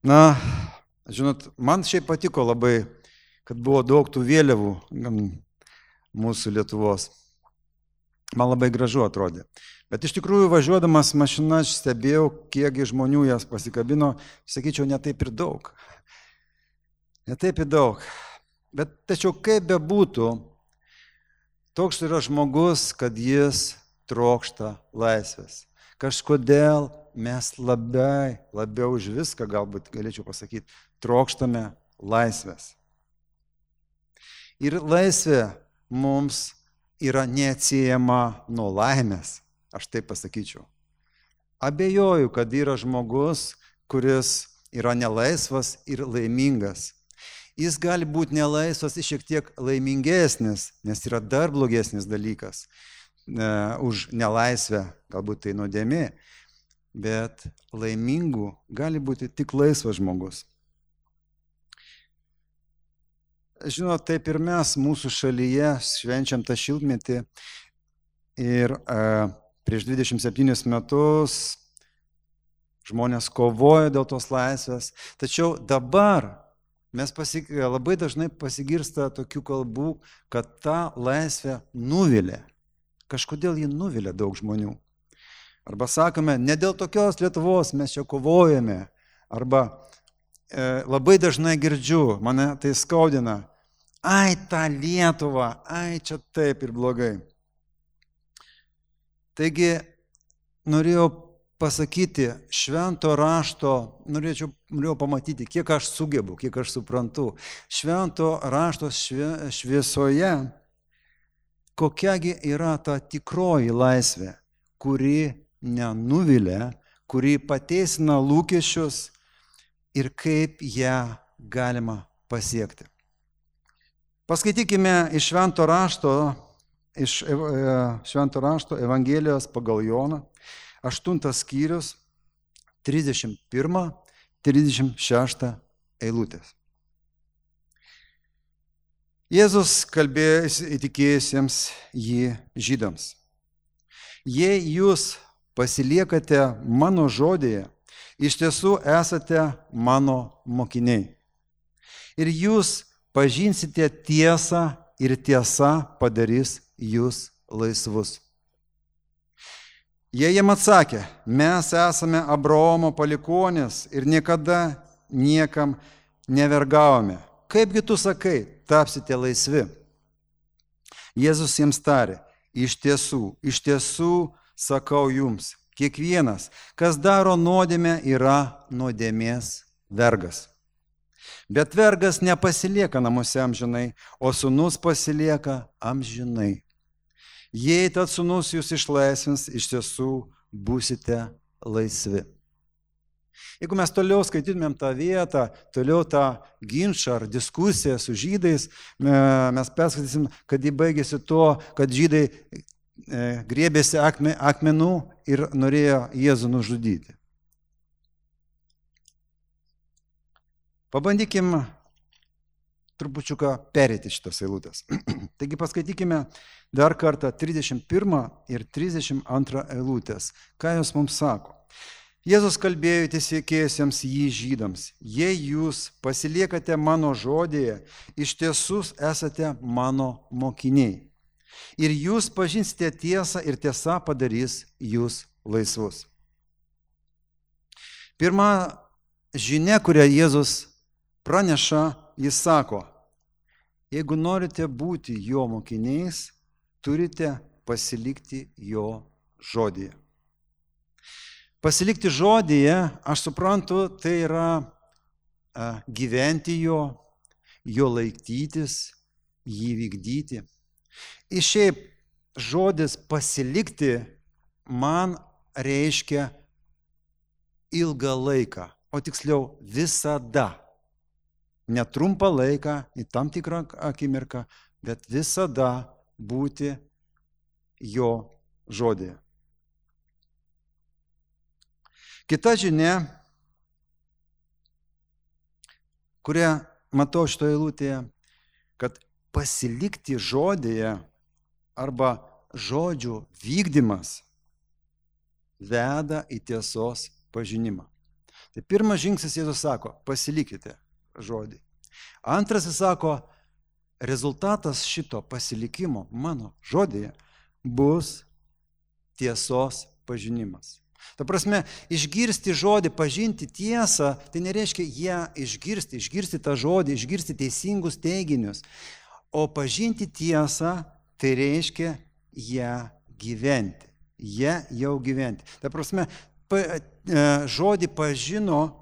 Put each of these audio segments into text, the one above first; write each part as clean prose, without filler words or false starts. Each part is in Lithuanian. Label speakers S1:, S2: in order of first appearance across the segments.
S1: Na, žinot, man šiaip patiko labai, kad buvo daug tų vėliavų mūsų Lietuvos. Man labai gražu atrodė. Bet iš tikrųjų, važiuodamas mašina, aš stebėjau, kiek žmonių jas pasikabino, sakyčiau, ne taip ir daug. Ne taip ir daug. Bet tačiau kaip bebūtų, toks yra žmogus, kad jis trokšta laisvės. Kažkodėl mes labiau už viską, galbūt galėčiau pasakyti, trokštame laisvės. Ir laisvė mums yra neatsiejama nuo laimės, aš taip pasakyčiau. Abejoju, kad yra žmogus, kuris yra nelaisvas ir laimingas. Jis gali būti nelaisvas ir šiek tiek laimingesnis, nes yra dar blogesnis dalykas už nelaisvę, galbūt tai nuodėmė, bet laimingų gali būti tik laisvas žmogus. Žinot, taip ir mes mūsų šalyje švenčiam tą šimtmetį ir prieš 27 metus žmonės kovojo dėl tos laisvės, tačiau dabar mes labai dažnai pasigirsta tokių kalbų, kad ta laisvė nuvilia. Kažkodėl ji nuvilia daug žmonių. Arba sakome, ne dėl tokios Lietuvos mes čia kovojame. Arba labai dažnai girdžiu, mane tai skaudina. Ai, ta Lietuva, ai, čia taip ir blogai. Taigi, norėjau pasakyti, švento rašto, norėjau pamatyti, kiek aš sugebu, kiek aš suprantu. Švento rašto šviesoje, kokiagi yra ta tikroji laisvė, kuri nenuvilia, kuri pateisina lūkesčius ir kaip ją galima pasiekti. Paskaitykime iš Švento rašto Evangelijos pagal Joną, 8 skyrius, 31-36 eilutės. Jėzus kalbėjo įtikėjusiems jį žydams. Jei jūs pasiliekate mano žodėje, iš tiesų esate mano mokiniai. Ir jūs pažinsite tiesą ir tiesa padarys jūs laisvus. Jie jam atsakė, mes esame Abraomo palikuonys ir niekada niekam nevergavome. Kaipgi tu sakai, tapsite laisvi? Jėzus jiems tarė, iš tiesų sakau jums, kiekvienas, kas daro nuodėmę, yra nuodėmės vergas. Bet vergas nepasilieka namuose amžinai, o sūnus pasilieka amžinai. Jei tad sūnus jūs išlaisvins, iš tiesų būsite laisvi. Jeigu mes toliau skaitytumėm tą vietą, toliau tą ginčą ar diskusiją su žydais, mes perskaitysim, kad jį baigėsi tuo, kad žydai griebėsi akmenų ir norėjo Jėzų nužudyti. Pabandykim trupučiuką perėti šitas eilutės. Taigi paskaitykime dar kartą 31 ir 32 eilutės. Ką jos mums sako? Jėzus kalbėjo įtikėjusiems jį žydams. Jei jūs pasiliekate mano žodėje, iš tiesų esate mano mokiniai. Ir jūs pažinsite tiesą ir tiesa padarys jūs laisvus. Pirma žinia, kurią Jėzus praneša, jis sako, jeigu norite būti jo mokiniais, turite pasilikti jo žodėje. Pasilikti žodėje, aš suprantu, tai yra gyventi jo laikytis, jį vykdyti. Ir šiaip žodis pasilikti man reiškia ilgą laiką, o tiksliau visada. Ne trumpą laiką, į tam tikrą akimirką, bet visada būti jo žodėje. Kita žinia, kurią matau šitoje eilutėje, kad pasilikti žodėje arba žodžių vykdymas veda į tiesos pažinimą. Tai pirmas žingsnis Jėzus sako, pasilikite žodį. Antras jis sako, rezultatas šito pasilikimo mano žodėje bus tiesos pažinimas. Ta prasme, išgirsti žodį, pažinti tiesą, tai nereiškia ją išgirsti tą žodį, išgirsti teisingus teiginius. O pažinti tiesą, tai reiškia ją gyventi. Ją jau gyventi. Ta prasme, žodį pažino,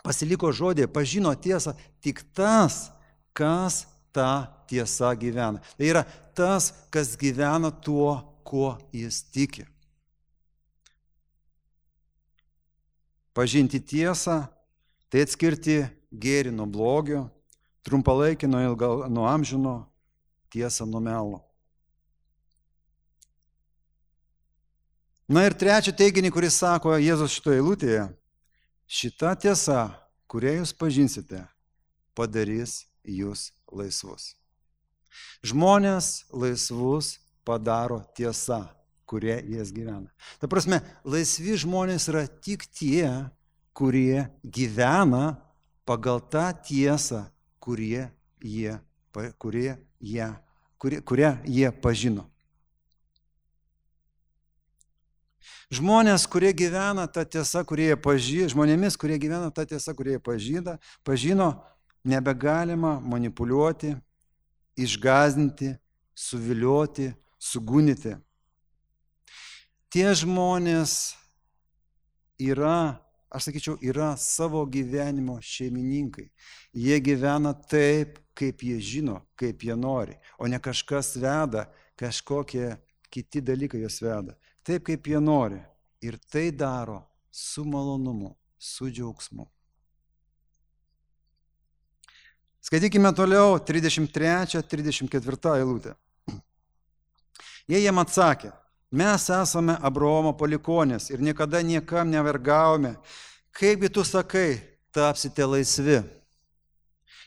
S1: pasiliko žodį, pažino tiesą tik tas, kas tą tiesą gyvena. Tai yra tas, kas gyvena tuo, kuo jis tiki. Pažinti tiesą, tai atskirti gėrį nuo blogio, trumpalaikį nuo amžino, tiesą nuo melo. Na ir trečią teiginį, kuris sako Jėzus šitoje eilutėje, šita tiesa, kurią jūs pažinsite, padarys jūs laisvus. Žmonės laisvus padaro tiesa, kurie jas gyvena. Ta prasme, laisvi žmonės yra tik tie, kurie gyvena pagal tą tiesą, kurią jie pažino. Žmonės, kurie gyvena tą tiesą, žmonėmis, kurie gyvena tą tiesą, kurie pažino, nebegalima manipuliuoti, išgąsdinti, suvilioti, sugundyti. Tie žmonės yra savo gyvenimo šeimininkai. Jie gyvena taip, kaip jie žino, kaip jie nori, o ne kažkas veda, kažkokie kiti dalykai juos veda. Taip, kaip jie nori. Ir tai daro su malonumu, su džiaugsmu. Skaitykime toliau 33-34 eilutę. Jie jam atsakė, mes esame Abraomo palikuonys ir niekada niekam nevergavome. Kaipgi tu sakai, tapsite laisvi?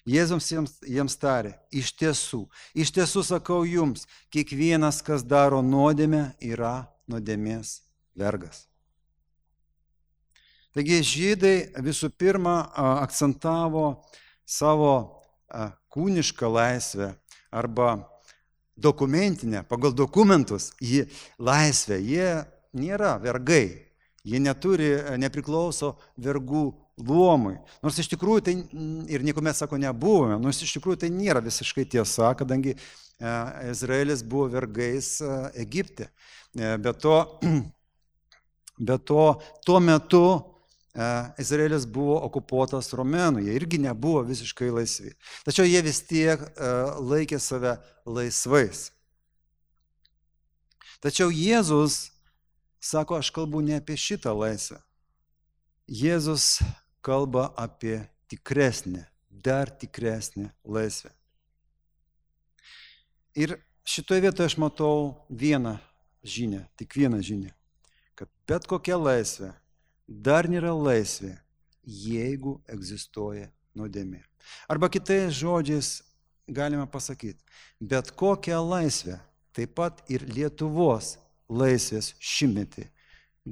S1: Jėzus jiems tarė, iš tiesų sakau jums, kiekvienas, kas daro nuodėmę, yra nuodėmės vergas. Taigi žydai visų pirma akcentavo savo kūnišką laisvę arba dokumentinę, pagal dokumentus laisvę. Jie nėra vergai, jie nepriklauso vergų luomui. Nors iš tikrųjų tai, ir niekuomet sako nebuvome, nors iš tikrųjų tai nėra visiškai tiesa, kadangi Izraelis buvo vergais Egipte. Be to, tuo metu Izraelis buvo okupuotas romėnų, jie irgi nebuvo visiškai laisvi. Tačiau jie vis tiek laikė save laisvais. Tačiau Jėzus sako, aš kalbu ne apie šitą laisvę. Jėzus kalba apie tikresnę, dar tikresnę laisvę. Ir šitoje vietoje aš matau vieną žinią, tik vieną žinią, kad bet kokia laisvė dar nėra laisvė, jeigu egzistuoja nuodėmė. Arba kitais žodžiais galime pasakyti, bet kokią laisvę, taip pat ir Lietuvos laisvės šimtmetį,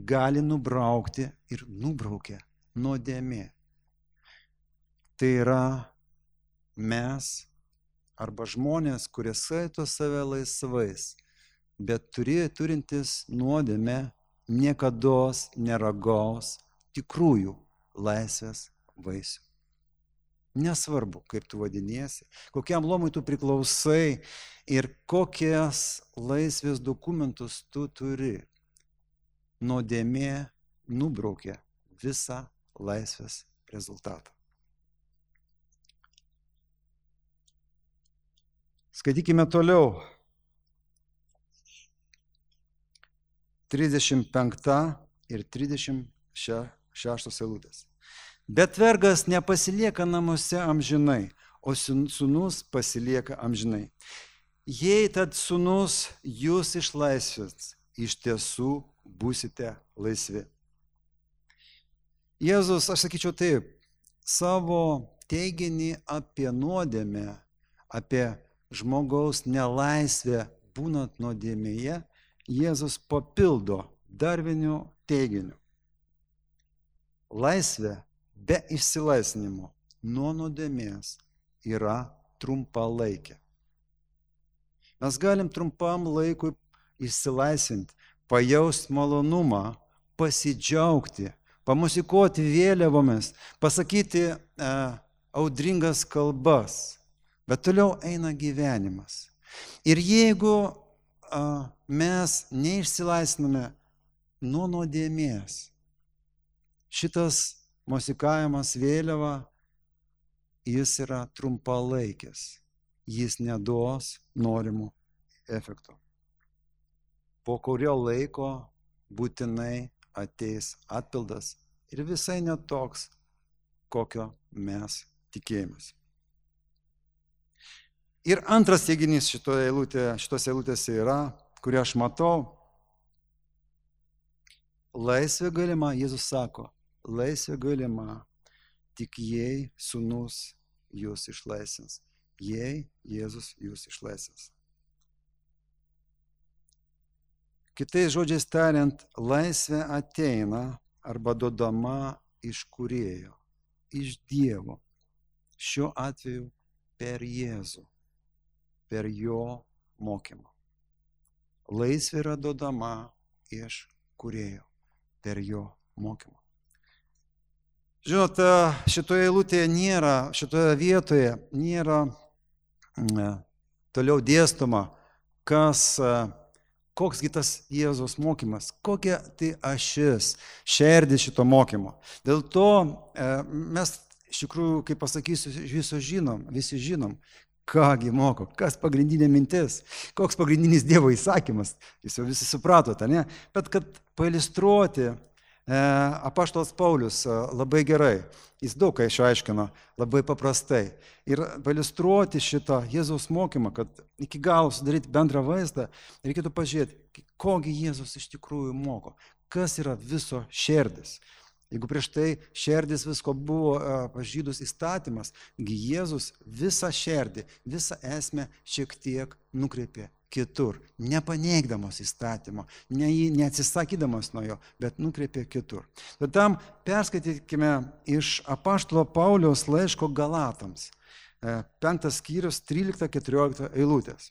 S1: gali nubraukti ir nubraukia nuodėmė. Tai yra mes arba žmonės, kurie skaito save laisvais, bet turintis nuodėmę niekados neragaus tikrųjų laisvės vaisių. Nesvarbu, kaip tu vadiniesi, kokiam luomui tu priklausai ir kokias laisvės dokumentus tu turi. Nuodėmė nubraukia visą laisvės rezultatą. Skaitykime toliau. 35 ir 36 eilutės. Bet vergas nepasilieka namuose amžinai, o sūnus pasilieka amžinai. Jei tad sūnus jūs išlaisvins, iš tiesų būsite laisvi. Jėzus, aš sakyčiau taip, savo teiginį apie nuodėmę, apie žmogaus nelaisvę būnant nuodėmėje, Jėzus papildo dar vienu teiginiu. Laisvė be išsilaisvinimo nuo nuodėmės yra trumpalaikė. Mes galim trumpam laikui išsilaisvinti, pajausti malonumą, pasidžiaugti, pamusikuoti vėliavomis, pasakyti audringas kalbas, bet toliau eina gyvenimas. Ir jeigu mes neišsilaisviname nuo nuodėmės, šitas musikavimas vėliava, jis yra trumpalaikis, jis neduos norimų efektų. Po kurio laiko būtinai ateis atpildas ir visai netoks, kokio mes tikėjomės. Ir antras teiginys šitos eilutėse yra, kurį aš matau, laisvė galima, Jėzus sako, laisvė galima, tik jei sūnus jūs išlaisvins. Jei Jėzus jūs išlaisvins. Kitais žodžiais tariant, laisvė ateina arba duodama iš Kūrėjo, iš Dievo. Šiuo atveju per Jėzų, per jo mokymą. Laisvė yra duodama iš Kūrėjo, per jo mokymą. Žinote, šitoje vietoje nėra toliau dėstoma, koks tas Jėzaus mokymas, kokia tai ašis, šerdis šito mokymo. Dėl to mes iš tikrųjų, kaip pasakysiu, visi žinom, kągi moko, kas pagrindinė mintis, koks pagrindinis Dievo įsakymas, jūs jau visi supratote, ne? Bet kad pailistruoti, apaštalas Paulius labai gerai, jis daug ką išaiškino, labai paprastai. Ir pailistruoti šitą Jėzaus mokymą, kad iki galo sudaryti bendrą vaizdą, reikėtų pažiūrėti, kogi Jėzus iš tikrųjų moko, kas yra viso šerdis. Jeigu prieš tai šerdis visko buvo pažydus įstatymas, Jėzus visą šerdį, visą esmę šiek tiek nukreipė kitur, nepaneigdamas įstatymo, neatsisakydamas nuo jo, bet nukreipė kitur. Tad tam perskaitykime iš apaštalo Pauliaus laiško Galatams, 5 skyrius 13-14 eilutės.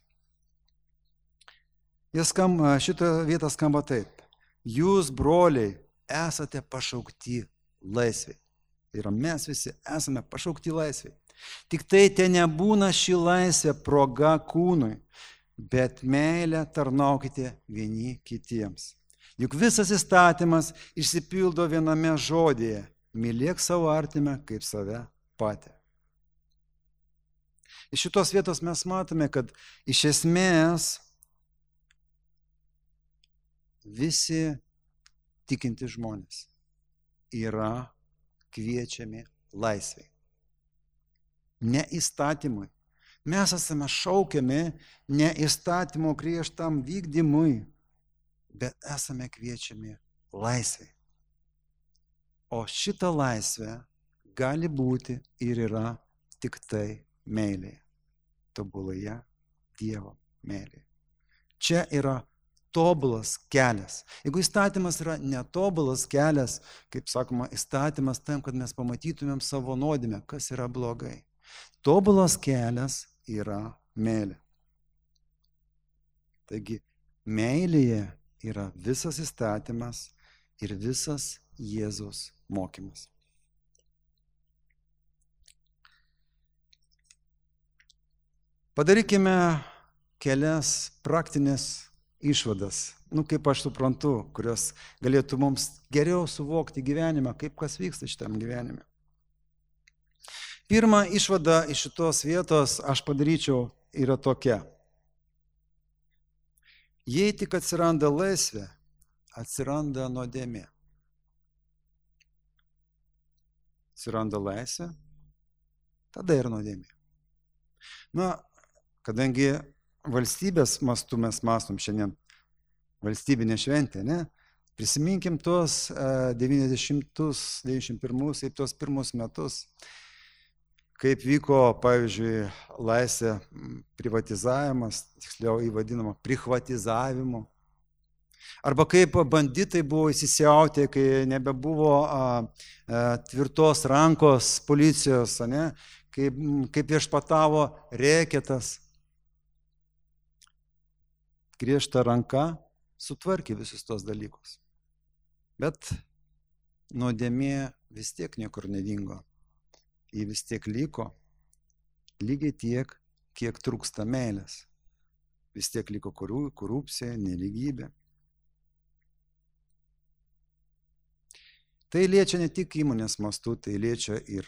S1: Šitą vietą skamba taip. Jūs, broliai, esate pašaukti laisvei. Tai yra, mes visi esame pašaukti laisvei. Tik tai nebūna ši laisvė proga kūnui, bet meilę tarnaukite vieni kitiems. Juk visas įstatymas išsipildo viename žodyje: mylėk savo artimą kaip save patį. Iš šitos vietos mes matome, kad iš esmės visi tikinti žmonės yra kviečiami laisvei. Ne įstatymui. Mes esame šaukiami ne įstatymo griežtam vykdymui, bet esame kviečiami laisvei. O šita laisvė gali būti ir yra tik tai meilėje, tobuloje Dievo meilėje. Čia yra tobulas kelias. Jeigu įstatymas yra netobulas kelias, kaip sakoma, įstatymas tam, kad mes pamatytumėm savo nuodėmę, kas yra blogai. Tobulas kelias yra meilė. Taigi, meilėje yra visas įstatymas ir visas Jėzaus mokymas. Padarykime kelias praktinės išvadas, kaip aš suprantu, kurios galėtų mums geriau suvokti gyvenimą, kaip kas vyksta šitam gyvenime. Pirma išvada iš šitos vietos aš padaryčiau yra tokia. Jei tik atsiranda laisvė, atsiranda nuodėmė. Atsiranda laisvė, tada ir nuodėmė. Kadangi valstybės mastu mes mąstom šiandien valstybinė šventė, ne? Prisiminkim tuos 90-91 ir tuos pirmus metus, kaip vyko, pavyzdžiui, laisvė privatizavimas, tiksliau įvadinama prihvatizavimu. Arba kaip banditai buvo įsisiautę, kai nebebuvo tvirtos rankos policijos, ne? Kaip viešpatavo reketas. Griežta ranka sutvarkė visus tos dalykus. Bet nuodėmė vis tiek niekur nedingo. Ji vis tiek liko, lygiai tiek, kiek trūksta meilės. Vis tiek liko korupcija, nelygybė. Tai liečia ne tik įmonės mastu, tai liečia ir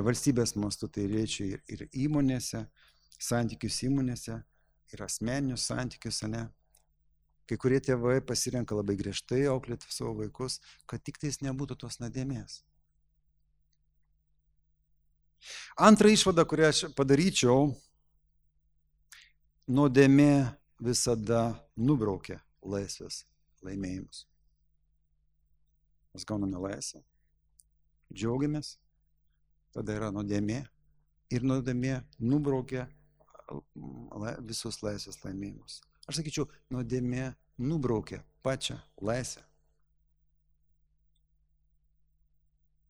S1: valstybės mastu, tai liečia ir įmonėse, santykius įmonėse, ir asmeninius santykius, ne. Kai kurie tėvai pasirenka labai griežtai auklėti savo vaikus, kad tik tais nebūtų tos nuodėmės. Antra išvada, kurią aš padaryčiau, nuodėmė visada nubraukia laisvės laimėjimus. Mes gauname laisvę, džiaugiamės, tada yra nuodėmė ir nuodėmė nubraukia visus laisvės laimėjimus. Aš sakyčiau, nuodėmė nubraukia pačią laisvę.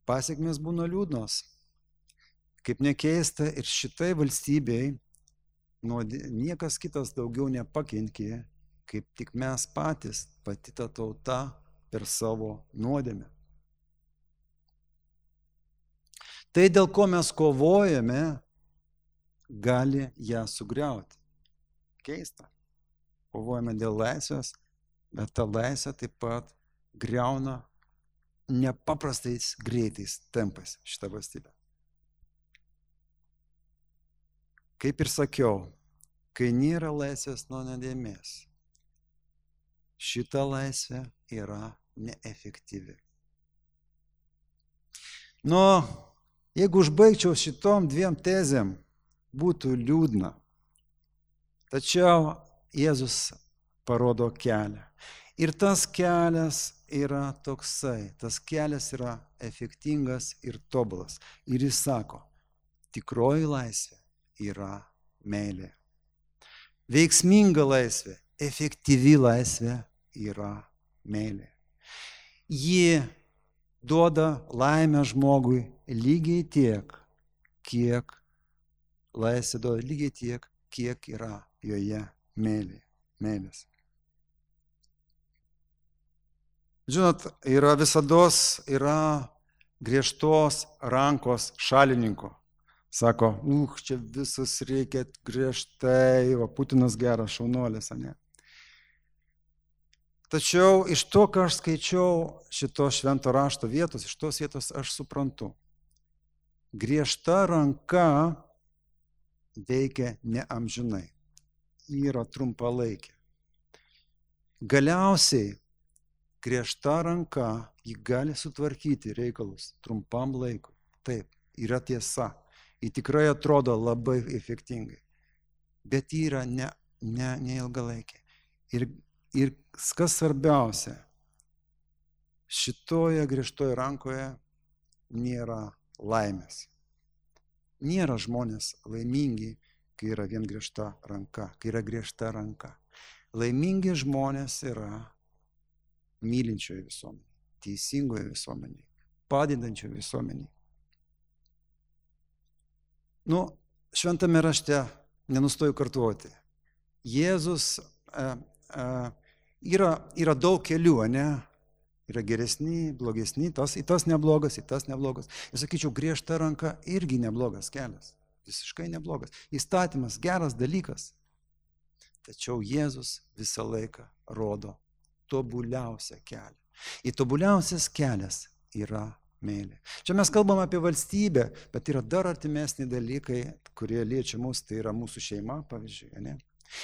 S1: Pasekmės būna liūdnos. Kaip nekeista, ir šitai valstybei niekas kitas daugiau nepakenkė, kaip tik mes patys, pati ta tauta, per savo nuodėmę. Tai, dėl ko mes kovojame, gali ją sugriauti. Keista. Kovojame dėl laisvės, bet ta laisvė taip pat griauna nepaprastais greitais tempais šitą valstybę. Kaip ir sakiau, kai nėra laisvės nuo nuodėmės, šita laisvė yra neefektyvi. Jeigu užbaigčiau šitom dviem tezėm, būtų liūdna. Tačiau Jėzus parodo kelią. Ir tas kelias yra toksai, tas kelias yra efektingas ir tobulas. Ir jis sako, tikroji laisvė yra meilė. Veiksminga laisvė, efektyvi laisvė yra meilė. Ji duoda laimę žmogui lygiai tiek, kiek laisvė duoda lygiai tiek, kiek yra joje meilės. Žinot, visados yra griežtos rankos šalininko. Sako, čia visus reikia griežtai, o Putinas geras šaunuolis, ne? Tačiau iš to, ką aš skaičiau šito švento rašto vietos, iš tos vietos aš suprantu. Griežta ranka veikia neamžinai. Yra trumpalaikė. Galiausiai griežta ranka ji gali sutvarkyti reikalus trumpam laikui. Taip, yra tiesa. Ji tikrai atrodo labai efektingai. Bet ji yra neilgalaikė. Ir kas svarbiausia, šitoje griežtoje rankoje nėra laimės. Nėra žmonės laimingi, kai yra vien griežta ranka, kai yra griežta ranka. Laimingi žmonės yra mylinčioje visuomenėje, teisingoje visuomenėje, padedančioje visuomenėje. Šventame rašte nenustoju kartuoti. Jėzus yra daug kelių, ne? Yra geresni, blogesni, tas neblogas, tas neblogas. Ir sakyčiau, griežta ranka irgi neblogas kelias. Visiškai neblogas. Įstatymas geras dalykas. Tačiau Jėzus visą laiką rodo tobuliausią kelią. Ir tobuliausias kelias yra meilė. Čia mes kalbam apie valstybę, bet yra dar artimesni dalykai, kurie liečia mus, tai yra mūsų šeima, pavyzdžiui, ne?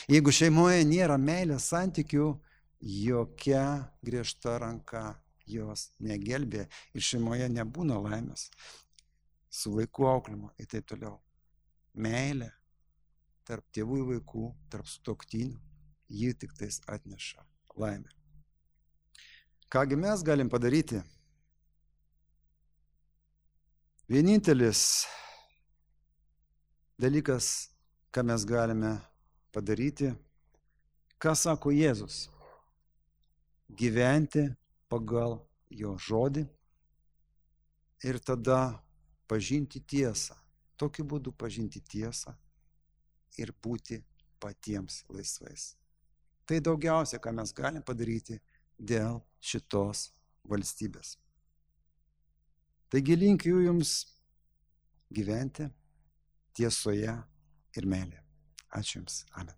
S1: Jeigu šeimoje nėra meilės santykių, jokia griežta ranka jos negelbė ir šeimoje nebūna laimės su vaikų auklėjimu ir taip toliau. Meilė tarp tėvų ir vaikų, tarp sutuoktinių, ji tik tais atneša laimę. Kągi mes galim padaryti? Vienintelis dalykas, ką mes galime padaryti, ką sako Jėzus. gyventi pagal jo žodį ir tada pažinti tiesą. Tokiu būdu pažinti tiesą ir būti patiems laisvais. Tai daugiausia, ką mes galim padaryti dėl šitos valstybės. Taigi linkiu jums gyventi tiesoje ir meilėje. Ačiū jums. Amen.